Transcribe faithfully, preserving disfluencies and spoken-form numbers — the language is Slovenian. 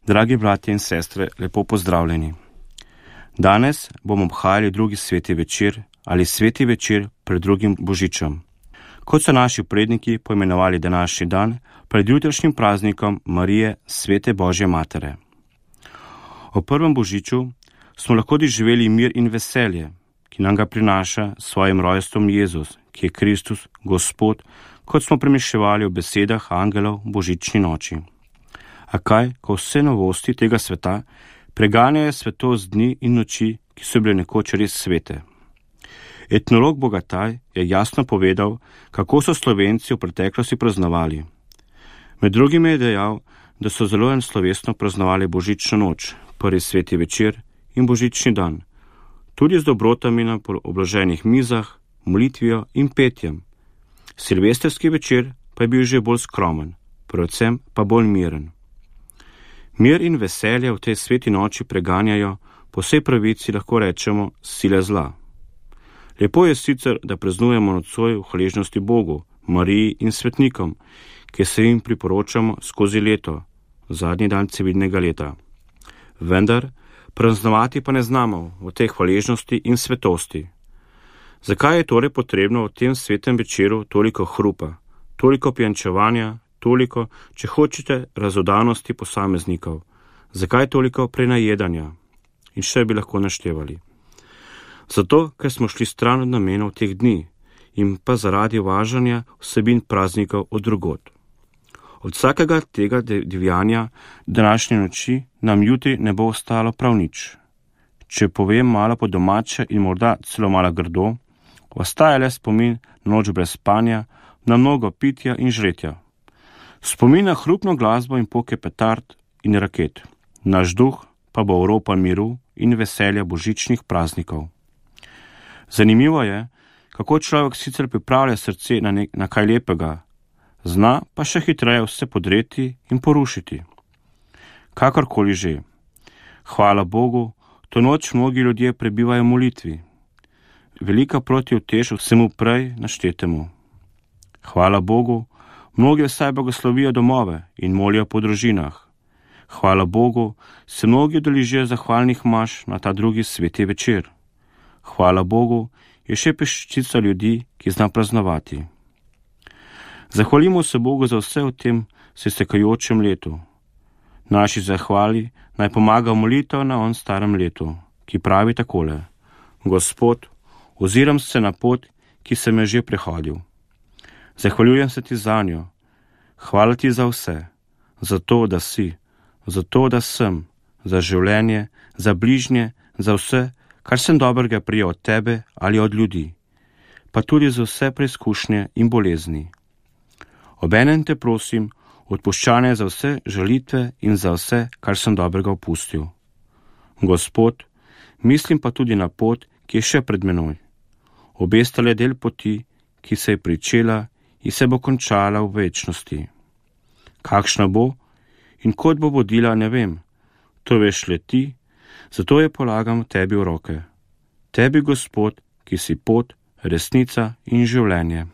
Dragi bratje in sestre, lepo pozdravljeni. Danes bomo obhajali drugi sveti večer ali sveti večer pred drugim božičem. Kot so naši predniki poimenovali današnji dan pred jutrišnjim praznikom Marije, svete Božje matere. O prvem božiču smo lahko doživeli mir in veselje, ki nam ga prinaša s svojim rojstvom Jezus, ki je Kristus, Gospod, kot smo premišljevali v besedah angelov božični noči. A kaj, ko vse novosti tega sveta preganjajo svetost dni in noči, ki so bile nekoč res svete. Etnolog Bogataj je jasno povedal, kako so Slovenci v preteklosti praznovali. Med drugim je dejal, da so zelo slovesno praznovali božično noč, prvi sveti večer in božični dan, tudi z dobrotami na obloženih mizah, molitvijo in petjem. Silvestrski večer pa je bil že bolj skromen, predvsem pa bolj miren. Mir in veselje v tej sveti noči preganjajo, po vsej pravici lahko rečemo, sile zla. Lepo je sicer, da praznujemo nocoj v hvaležnosti Bogu, Mariji in svetnikom, ki se jim priporočamo skozi leto, zadnji dan civilnega leta. Vendar praznovati pa ne znamo v tej hvaležnosti in svetosti. Zakaj je torej potrebno v tem svetem večeru toliko hrupa, toliko pijančevanja, toliko, če hočete, razodanosti posameznikov? Zakaj toliko prenajedanja? In še bi lahko naštevali. Zato, ker smo šli stran od namenov teh dni in pa zaradi uvažanja vsebin praznikov od drugod. Od vsakega tega divjanja današnje noči nam jutri ne bo ostalo prav nič. Če povem malo po domače in morda celo malo grdo, ostaja le spomin na noč brez spanja, na mnogo pitja in žretja. Spomin na hrupno glasbo in poke petard in raket. Naš duh pa bo oropan miru in veselja božičnih praznikov. Zanimivo je, kako človek sicer pripravlja srce na, nek, na kaj lepega, zna pa še hitreje vse podreti in porušiti. Kakorkoli že. Hvala Bogu, to noč mnogi ljudje prebivajo v molitvi. Velika protiutež vsemu prej naštetemu. Hvala Bogu, mnogi vsaj blagoslovijo domove in molijo po družinah. Hvala Bogu, se mnogi udeležijo zahvalnih maš na ta drugi sveti večer. Hvala Bogu, je še peščica ljudi, ki zna praznovati. Zahvalimo se Bogu za vse v tem se stekajočem letu. Naši zahvali naj pomaga molitev na on starem letu, ki pravi takole: Gospod, oziram se na pot, ki sem je že prehodil. Zahvaljujem se ti za njo. Hvala ti za vse, za to, da si, za to, da sem, za življenje, za bližnje, za vse, kar sem dobrega prijel od tebe ali od ljudi, pa tudi za vse preizkušnje in bolezni. Obenem te prosim, odpuščanje za vse žalitve in za vse, kar sem dobrega opustil. Gospod, mislim pa tudi na pot, ki je še pred menoj. Obestale del poti, ki se je pričela in se bo končala v večnosti. Kakšna bo in kot bo vodila, ne vem. To veš le ti, zato je polagam tebi v roke. Tebi, Gospod, ki si pot, resnica in življenje.